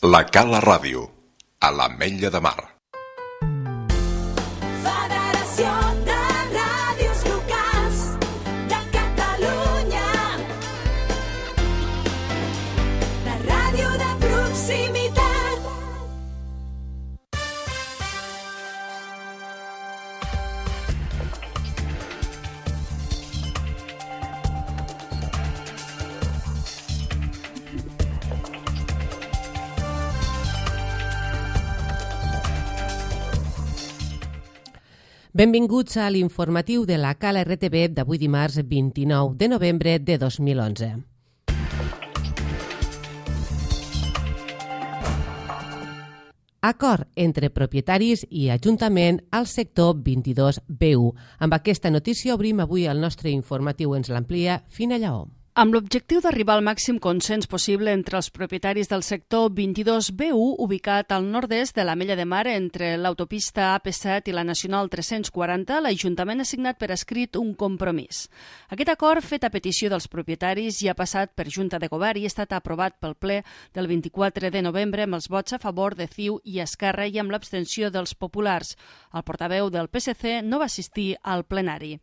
La Cala Ràdio, a l'Ametlla de Mar. Federació de Ràdios Locals de Catalunya. La ràdio de proximitat. Benvinguts a l'informatiu de la Cala RTV d'avui dimarts 29 de novembre de 2011. Acord entre propietaris i Ajuntament al sector 22B1. Amb aquesta notícia obrim avui el nostre informatiu. Ens l'amplia Fina Lleó. Amb l'objectiu d'arribar al màxim consens possible entre els propietaris del sector 22B1, ubicat al nord-est de l'Ametlla de Mar entre l'autopista AP7 i la Nacional 340, l'Ajuntament ha signat per escrit un compromís. Aquest acord, fet a petició dels propietaris, ja ha passat per Junta de Govern i ha estat aprovat pel ple del 24 de novembre amb els vots a favor de CiU i Esquerra i amb l'abstenció dels populars. El portaveu del PSC no va assistir al plenari.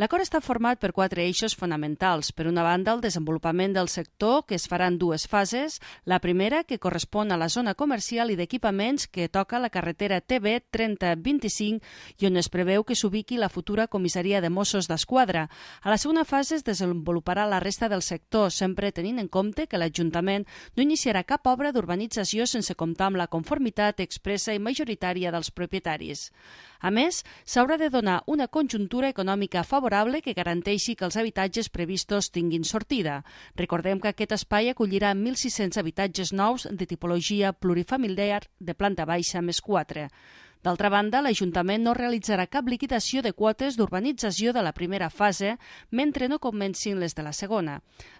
L'acord està format per 4 eixos fonamentals. Per una banda, el desenvolupament del sector, que es farà en 2 fases. La primera, que correspon a la zona comercial i d'equipaments que toca la carretera TB 3025 i on es preveu que s'ubiqui la futura comissaria de Mossos d'Esquadra. A la segona fase es desenvoluparà la resta del sector, sempre tenint en compte que l'Ajuntament no iniciarà cap obra d'urbanització sense comptar amb la conformitat expressa i majoritària dels propietaris. A més, s'haurà de donar una conjuntura econòmica favorable que garanteixi que els habitatges previstos tinguin sortida. Recordem que aquest espai acollirà 1.600 habitatges nous de tipologia plurifamiliar de planta baixa més 4. D'altra banda, l'Ajuntament no realitzarà cap liquidació de quotes d'urbanització de la primera fase mentre no comencin les de la segona.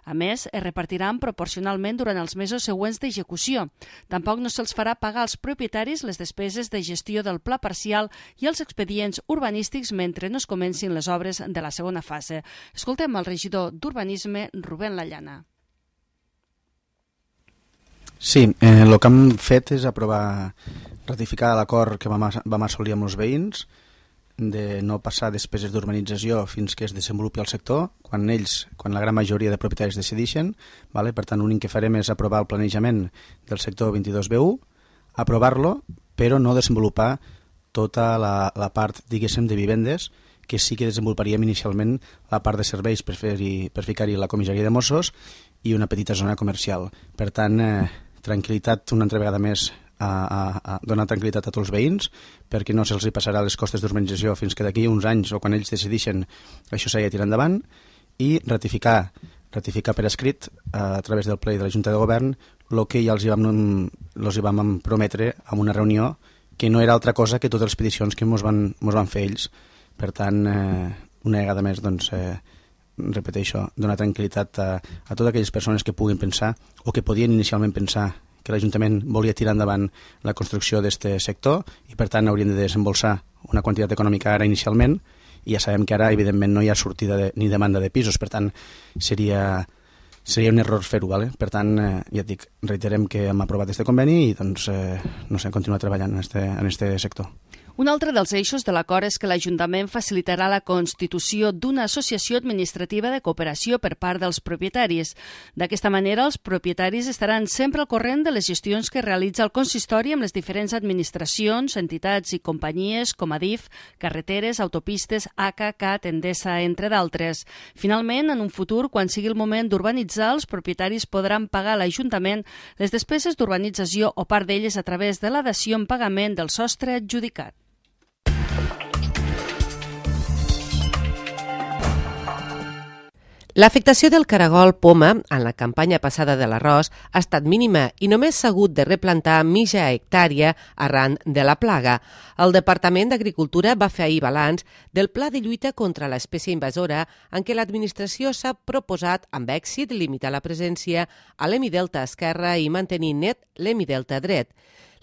A més, es repartiran proporcionalment durant els mesos següents d'execució. Tampoc no se'ls farà pagar als propietaris les despeses de gestió del pla parcial i els expedients urbanístics mentre no es comencin les obres de la segona fase. Escoltem el regidor d'Urbanisme, Rubén Lallana. Sí, el que hem fet és ratificar l'acord que vam assolir amb els veïns de no passar despeses d'urbanització fins que es desenvolupi el sector, quan la gran majoria de propietaris decideixen. Per tant, l'únic que farem és aprovar el planejament del sector 22B1, aprovar-lo, però no desenvolupar tota la part, diguéssim, de vivendes, que sí que desenvoluparíem inicialment la part de serveis per ficar-hi la comissaria de Mossos i una petita zona comercial. Per tant, tranquil·litat una altra vegada més, a donar tranquil·litat a tots els veïns perquè no se'ls passarà les costes d'urbanització fins que d'aquí uns anys o quan ells decideixen això s'hagi de tirar endavant, i ratificar per escrit a través del ple de la Junta de Govern el que ja els hi vam prometre en una reunió que no era altra cosa que totes les peticions que ens van fer ells. Per tant, una vegada més, repeteixo, donar tranquil·litat a totes aquelles persones que puguin pensar o que podien inicialment pensar que l'Ajuntament volia tirar endavant la construcció d'aquest sector i per tant haurien de desembolsar una quantitat econòmica ara inicialment, i ja sabem que ara evidentment no hi ha sortida ni demanda de pisos, per tant seria un error fer-ho. Per tant, ja et dic, reiterem que hem aprovat aquest conveni i continuar treballant en aquest sector. Un altre dels eixos de l'acord és que l'Ajuntament facilitarà la constitució d'una associació administrativa de cooperació per part dels propietaris. D'aquesta manera, els propietaris estaran sempre al corrent de les gestions que realitza el consistori amb les diferents administracions, entitats i companyies com Adif, carreteres, autopistes, ACA, CAT, Endesa, entre d'altres. Finalment, en un futur, quan sigui el moment d'urbanitzar, els propietaris podran pagar a l'Ajuntament les despeses d'urbanització o part d'elles a través de la dació en pagament del sostre adjudicat. L'afectació del caragol poma en la campanya passada de l'arròs ha estat mínima i només s'ha hagut de replantar mitja hectàrea arran de la plaga. El Departament d'Agricultura va fer ahir balanç del pla de lluita contra l'espècie invasora en què l'administració s'ha proposat amb èxit limitar la presència a l'hemidelta esquerre i mantenir net l'hemidelta dret.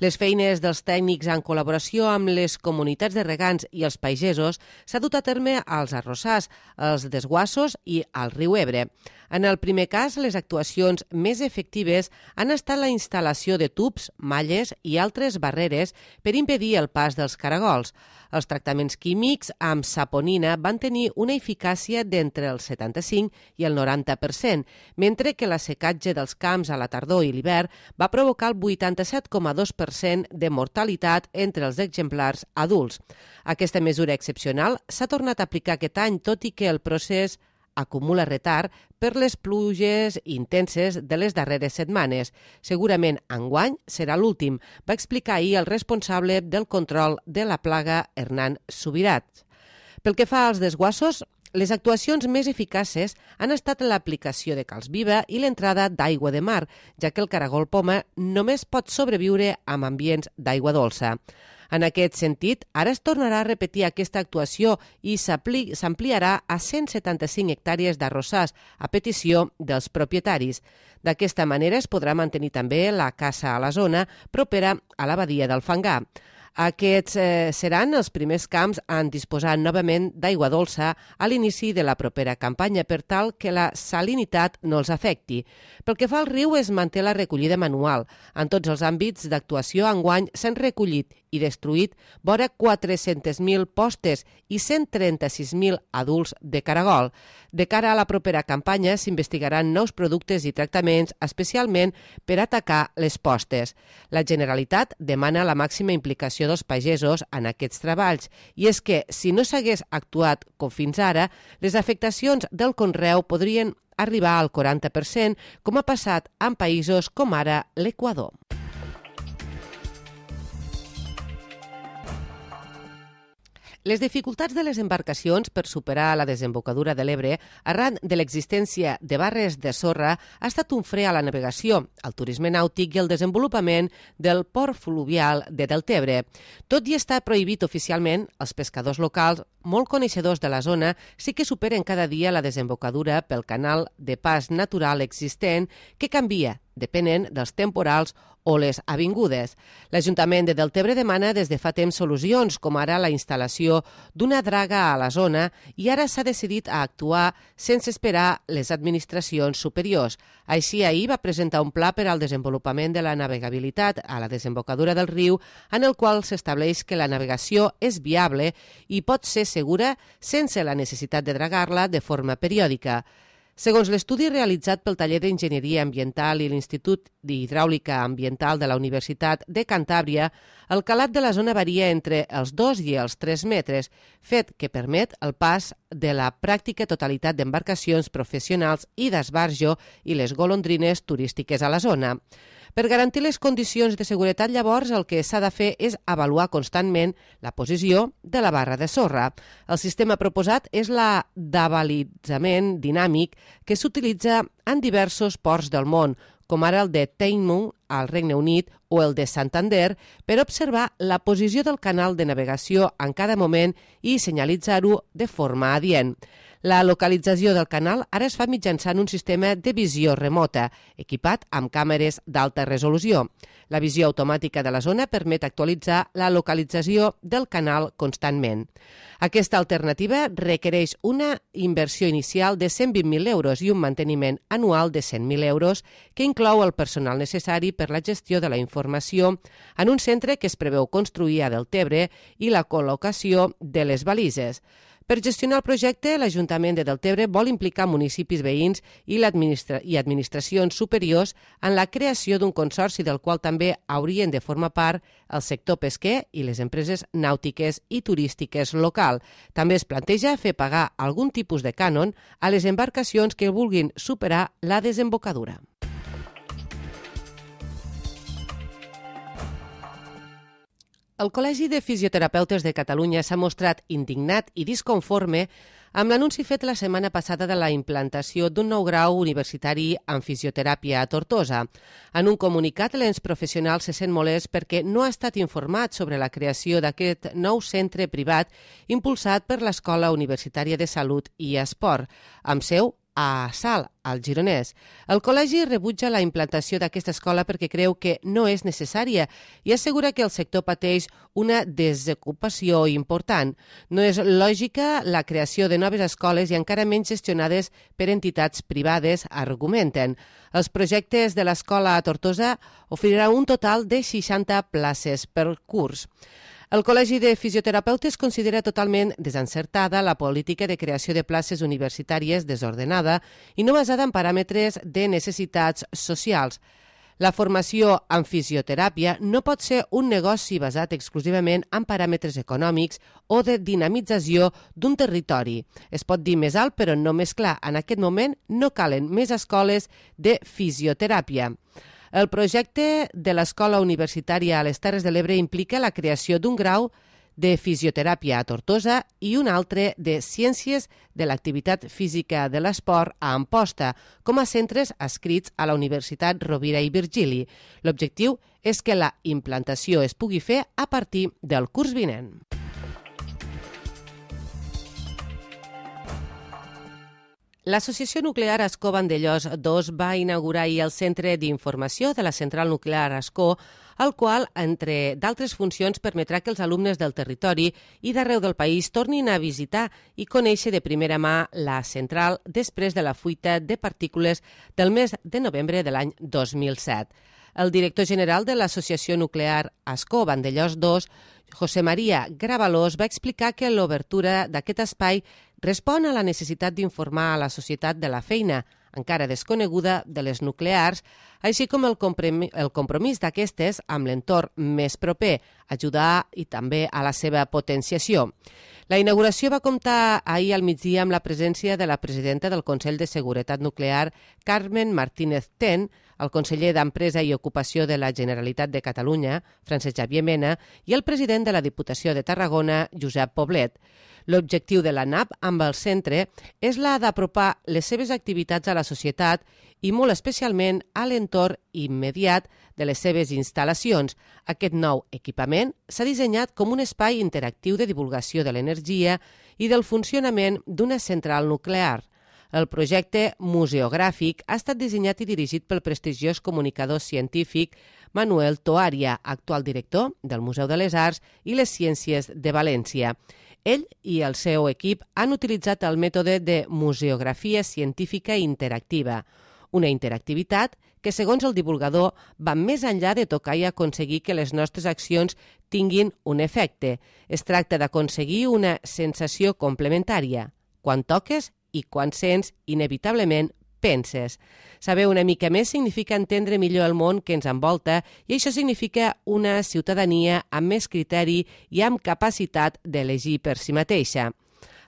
Les feines dels tècnics en col·laboració amb les comunitats de regants i els pagesos s'ha dut a terme als arrossars, als desguassos i al riu Ebre. En el primer cas, les actuacions més efectives han estat la instal·lació de tubs, malles i altres barreres per impedir el pas dels caragols. Els tractaments químics amb saponina van tenir una eficàcia d'entre el 75 i el 90%, mentre que l'assecatge dels camps a la tardor i l'hivern va provocar el 87,2% de mortalitat entre els exemplars adults. Aquesta mesura excepcional s'ha tornat a aplicar aquest any, tot i que el procés acumula retard per les pluges intenses de les darreres setmanes. Segurament enguany serà l'últim, va explicar ahir el responsable del control de la plaga, Hernán Subirat. Pel que fa als desguassos, les actuacions més eficaces han estat l'aplicació de calç viva i l'entrada d'aigua de mar, ja que el caragol poma només pot sobreviure amb ambients d'aigua dolça. En aquest sentit, ara es tornarà a repetir aquesta actuació i s'ampliarà a 175 hectàrees d'arrossars a petició dels propietaris. D'aquesta manera es podrà mantenir també la caça a la zona propera a la badia del Fangar. Aquests seran els primers camps en disposar novament d'aigua dolça a l'inici de la propera campanya per tal que la salinitat no els afecti. Pel que fa al riu, es manté la recollida manual. En tots els àmbits d'actuació enguany s'han recollit i destruït vora 400.000 postes i 136.000 adults de caragol. De cara a la propera campanya s'investigaran nous productes i tractaments, especialment per atacar les postes. La Generalitat demana la màxima implicació dels pagesos en aquests treballs, i és que, si no s'hagués actuat com fins ara, les afectacions del conreu podrien arribar al 40%, com ha passat en països com ara l'Equador. Les dificultats de les embarcacions per superar la desembocadura de l'Ebre arran de l'existència de barres de sorra ha estat un fre a la navegació, al turisme nàutic i al desenvolupament del port fluvial de Deltebre. Tot i estar prohibit oficialment, els pescadors locals, molt coneixedors de la zona, sí que superen cada dia la desembocadura pel canal de pas natural existent que canvia depenent dels temporals o les avingudes. L'Ajuntament de Deltebre demana des de fa temps solucions, com ara la instal·lació d'una draga a la zona, i ara s'ha decidit a actuar sense esperar les administracions superiors. Així, ahir va presentar un pla per al desenvolupament de la navegabilitat a la desembocadura del riu, en el qual s'estableix que la navegació és viable i pot ser segura sense la necessitat de dragar-la de forma periòdica. Segons l'estudi realitzat pel Taller d'Enginyeria Ambiental i l'Institut d'Hidràulica Ambiental de la Universitat de Cantàbria, el calat de la zona varia entre els 2 i els 3 metres, fet que permet el pas de la pràctica totalitat d'embarcacions professionals i d'esbarjo i les golondrines turístiques a la zona. Per garantir les condicions de seguretat, llavors, el que s'ha de fer és avaluar constantment la posició de la barra de sorra. El sistema proposat és la d'avalitzament dinàmic que s'utilitza en diversos ports del món, com ara el de Teignmouth, al Regne Unit, o el de Santander, per observar la posició del canal de navegació en cada moment i senyalitzar-ho de forma adient. La localització del canal ara es fa mitjançant un sistema de visió remota, equipat amb càmeres d'alta resolució. La visió automàtica de la zona permet actualitzar la localització del canal constantment. Aquesta alternativa requereix una inversió inicial de 120.000 euros i un manteniment anual de 100.000 euros, que inclou el personal necessari per la gestió de la informació en un centre que es preveu construir a Deltebre i la col·locació de les balises. Per gestionar el projecte, l'Ajuntament de Deltebre vol implicar municipis veïns i administracions superiors en la creació d'un consorci del qual també haurien de formar part el sector pesquer i les empreses nàutiques i turístiques local. També es planteja fer pagar algun tipus de cànon a les embarcacions que vulguin superar la desembocadura. El Col·legi de Fisioterapeutes de Catalunya s'ha mostrat indignat i disconforme amb l'anunci fet la setmana passada de la implantació d'un nou grau universitari en fisioteràpia a Tortosa. En un comunicat, l'ens professional se sent molest perquè no ha estat informat sobre la creació d'aquest nou centre privat impulsat per l'Escola Universitària de Salut i Esport, amb seu a Salt, al Gironès. El col·legi rebutja la implantació d'aquesta escola perquè creu que no és necessària i assegura que el sector pateix una desocupació important. No és lògica la creació de noves escoles i encara menys gestionades per entitats privades, argumenten. Els projectes de l'escola a Tortosa oferiran un total de 60 places per curs. El Col·legi de Fisioterapeutes considera totalment desencertada la política de creació de places universitàries desordenada i no basada en paràmetres de necessitats socials. La formació en fisioteràpia no pot ser un negoci basat exclusivament en paràmetres econòmics o de dinamització d'un territori. Es pot dir més alt, però no més clar. En aquest moment no calen més escoles de fisioteràpia. El projecte de l'Escola Universitària a les Terres de l'Ebre implica la creació d'un grau de fisioteràpia a Tortosa i un altre de Ciències de l'Activitat Física de l'Esport a Amposta, com a centres adscrits a la Universitat Rovira i Virgili. L'objectiu és que la implantació es pugui fer a partir del curs vinent. L'Associació Nuclear Ascó Vandellòs 2 va inaugurar ahir el Centre d'Informació de la Central Nuclear Ascó, el qual, entre d'altres funcions, permetrà que els alumnes del territori i d'arreu del país tornin a visitar i conèixer de primera mà la central després de la fuita de partícules del mes de novembre de l'any 2007. El director general de l'Associació Nuclear Ascó Vandellòs 2, José María Gravalós, va explicar que l'obertura d'aquest espai respon a la necessitat d'informar a la societat de la feina, encara desconeguda, de les nuclears, així com el compromís d'aquestes amb l'entorn més proper, ajudar i també a la seva potenciació. La inauguració va comptar ahir al migdia amb la presència de la presidenta del Consell de Seguretat Nuclear, Carmen Martínez Ten, el conseller d'Empresa i Ocupació de la Generalitat de Catalunya, Francesc Xavier Mena, i el president de la Diputació de Tarragona, Josep Poblet. L'objectiu de la NAP amb el centre és la d'apropar les seves activitats a la societat i molt especialment a l'entorn immediat de les seves instal·lacions. Aquest nou equipament s'ha dissenyat com un espai interactiu de divulgació de l'energia i del funcionament d'una central nuclear. El projecte museogràfic ha estat dissenyat i dirigit pel prestigiós comunicador científic Manuel Toaria, actual director del Museu de les Arts i les Ciències de València. Ell i el seu equip han utilitzat el mètode de museografia científica interactiva, una interactivitat que, segons el divulgador, va més enllà de tocar i aconseguir que les nostres accions tinguin un efecte. Es tracta d'aconseguir una sensació complementària. Quan toques i quan sents, inevitablement penses. Saber una mica més significa entendre millor el món que ens envolta i això significa una ciutadania amb més criteri i amb capacitat d'elegir per si mateixa.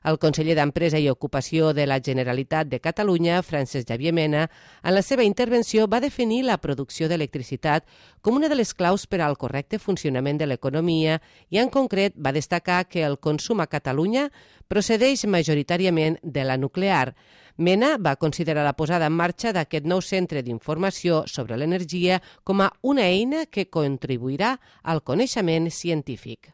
El conseller d'Empresa i Ocupació de la Generalitat de Catalunya, Francesc Xavier Mena, en la seva intervenció va definir la producció d'electricitat com una de les claus per al correcte funcionament de l'economia i, en concret, va destacar que el consum a Catalunya procedeix majoritàriament de la nuclear. Mena va considerar la posada en marxa d'aquest nou centre d'informació sobre l'energia com a una eina que contribuirà al coneixement científic.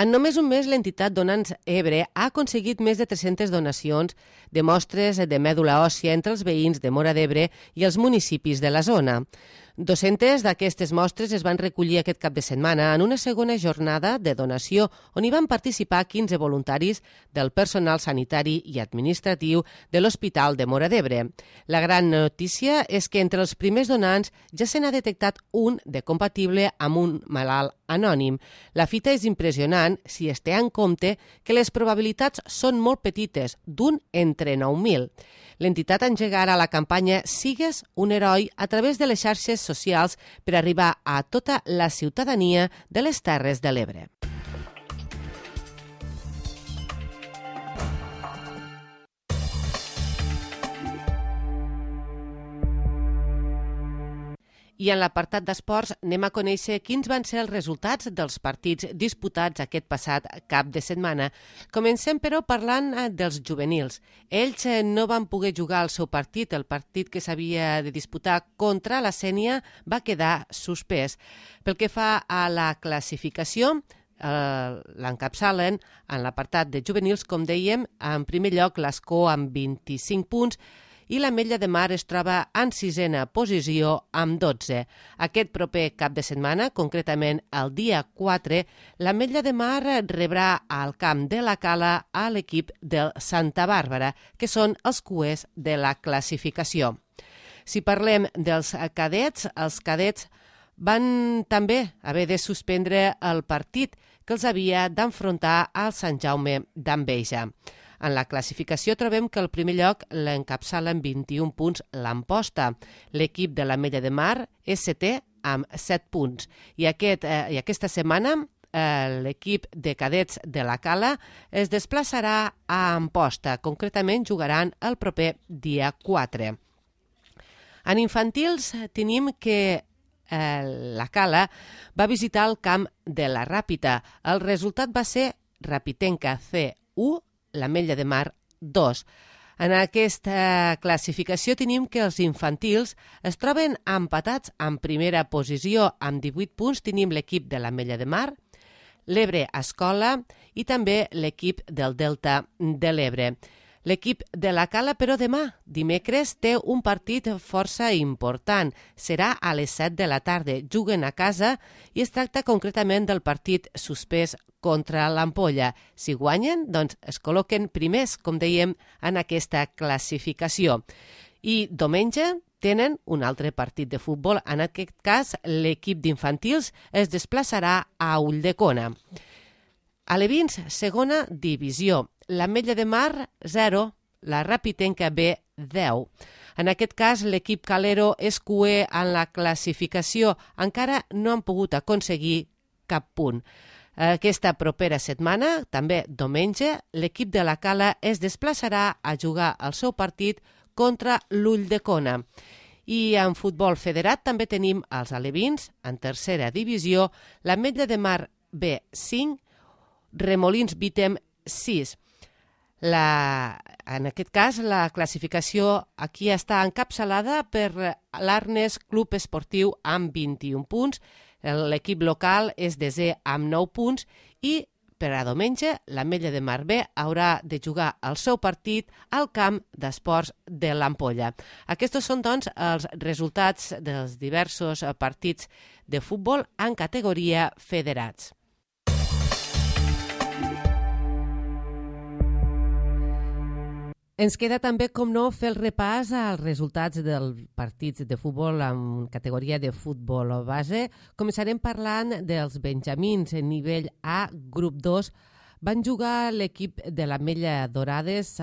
En només un mes, l'entitat Donants Ebre ha aconseguit més de 300 donacions de mostres de mèdula òssia entre els veïns de Móra d'Ebre i els municipis de la zona. 200 d'aquestes mostres es van recollir aquest cap de setmana en una segona jornada de donació on hi van participar 15 voluntaris del personal sanitari i administratiu de l'Hospital de Móra d'Ebre. La gran notícia és que entre els primers donants ja se n'ha detectat un de compatible amb un malalt anònim. La fita és impressionant si es té en compte que les probabilitats són molt petites, d'un entre 9.000. L'entitat engega ara la campanya Sigues un heroi a través de les xarxes socials per arribar a tota la ciutadania de les Terres de l'Ebre. I en l'apartat d'esports anem a conèixer quins van ser els resultats dels partits disputats aquest passat cap de setmana. Comencem, però, parlant dels juvenils. Ells no van poder jugar el seu partit. El partit que s'havia de disputar contra la Sénia va quedar suspès. Pel que fa a la classificació, l'encapçalen en l'apartat de juvenils, com dèiem, en primer lloc l'Escó amb 25 punts i l'Ametlla de Mar es troba en 6a posició amb 12. Aquest proper cap de setmana, concretament el dia 4, l'Ametlla de Mar rebrà al camp de la Cala a l'equip del Santa Bàrbara, que són els cuers de la classificació. Si parlem dels cadets, els cadets van també haver de suspendre el partit que els havia d'enfrontar al Sant Jaume d'Enveja. En la classificació trobem que el primer lloc l'encapçala amb 21 punts l'Amposta. L'equip de l'Ametlla de Mar és setè amb 7 punts. I aquesta setmana l'equip de cadets de la Cala es desplaçarà a Amposta. Concretament jugaran el proper dia 4. En infantils tenim que la Cala va visitar el camp de la Ràpita. El resultat va ser Rapitenca C1, l'Ametlla de Mar 2. En aquesta classificació tenim que els infantils es troben empatats en primera posició amb 18 punts. Tenim l'equip de l'Ametlla de Mar, l'Ebre Escola i també l'equip del Delta de l'Ebre. L'equip de la Cala, però demà, dimecres, té un partit força important. Serà a les 7 de la tarda. Juguen a casa i es tracta concretament del partit suspès contra l'Ampolla. Si guanyen, doncs es col·loquen primers, com dèiem, en aquesta classificació. I diumenge tenen un altre partit de futbol. En aquest cas, l'equip d'infantils es desplaçarà a Ulldecona. Alevins, segona divisió. L'Ametlla de Mar, 0, la Rapitenca B, 10. En aquest cas, l'equip calero és cuer en la classificació. Encara no han pogut aconseguir cap punt. Aquesta propera setmana, també diumenge, l'equip de la Cala es desplaçarà a jugar el seu partit contra l'Ulldecona. I en futbol federat també tenim els alevins, en tercera divisió, l'Ametlla de Mar B, 5, Remolins Vítem, 6. En aquest cas, la classificació aquí està encapçalada per l'Arnes Club Esportiu amb 21 punts, l'equip local és desè amb 9 punts i per a diumenge l'Ametlla de Mar B haurà de jugar el seu partit al camp d'esports de l'Ampolla. Aquests són, doncs, els resultats dels diversos partits de futbol en categoria federats. Ens queda també, com no, fer el repàs als resultats dels partits de futbol en categoria de futbol base. Començarem parlant dels benjamins en nivell A, grup 2. Van jugar l'equip de l'Ametlla Dorades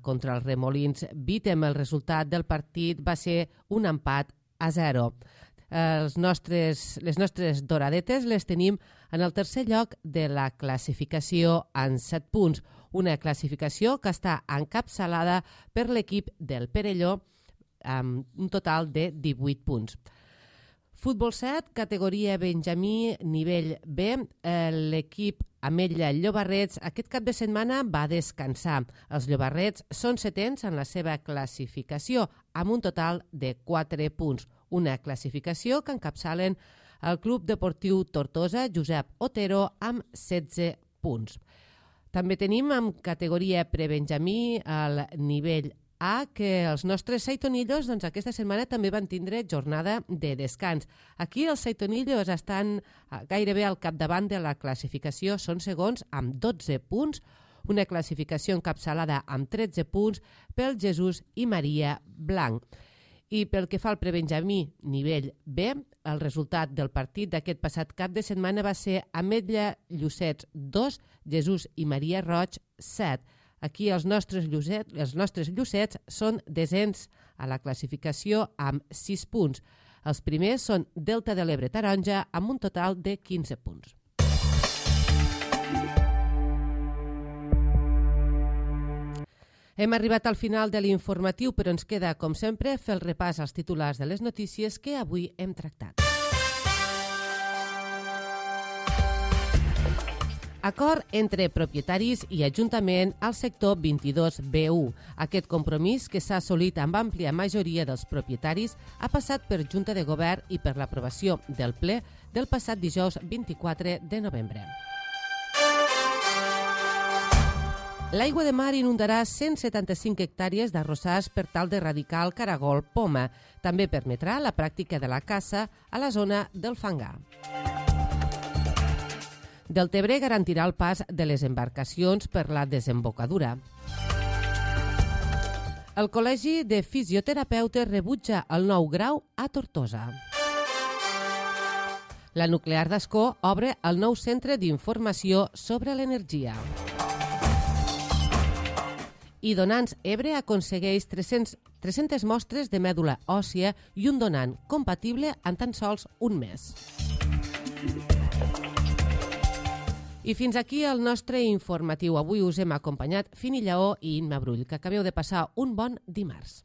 contra els Remolins Vítem. El resultat del partit va ser un empat a 0. Les nostres doradetes les tenim en el tercer lloc de la classificació en 7 punts, una classificació que està encapçalada per l'equip del Perelló amb un total de 18 punts. Futbol 7, categoria benjamí, nivell B, l'equip Ametlla Llobarrets aquest cap de setmana va descansar. Els Llobarrets són setens en la seva classificació amb un total de 4 punts, una classificació que encapçalen el Club Deportiu Tortosa Josep Otero amb 16 punts. També tenim en categoria prebenjamí el nivell A, que els nostres seitonillos aquesta setmana també van tindre jornada de descans. Aquí els seitonillos estan gairebé al capdavant de la classificació, són segons amb 12 punts, una classificació encapçalada amb 13 punts pel Jesús i Maria Blanc. I pel que fa al prebenjamí nivell B, el resultat del partit d'aquest passat cap de setmana va ser Ametlla Llucets 2, Jesús i Maria Roig 7. Aquí els nostres llucets són desens a la classificació amb 6 punts. Els primers són Delta de l'Ebre Taronja amb un total de 15 punts. Hem arribat al final de l'informatiu, però ens queda, com sempre, fer el repàs als titulars de les notícies que avui hem tractat. Acord entre propietaris i Ajuntament al sector 22B1. Aquest compromís, que s'ha assolit amb àmplia majoria dels propietaris, ha passat per Junta de Govern i per l'aprovació del ple del passat dijous 24 de novembre. L'aigua de mar inundarà 175 hectàrees d'arrossars per tal d'erradicar el caragol poma. També permetrà la pràctica de la caça a la zona del fangar. Deltebre garantirà el pas de les embarcacions per la desembocadura. El Col·legi de Fisioterapeutes rebutja el 9 grau a Tortosa. La nuclear d'Ascó obre el nou centre d'informació sobre l'energia. I Donants Ebre aconsegueix 300 mostres de mèdula òssia i un donant compatible en tan sols un mes. I fins aquí el nostre informatiu. Avui us hem acompanyat Fini Lleó i Imma Brull. Que acabeu de passar un bon dimarts.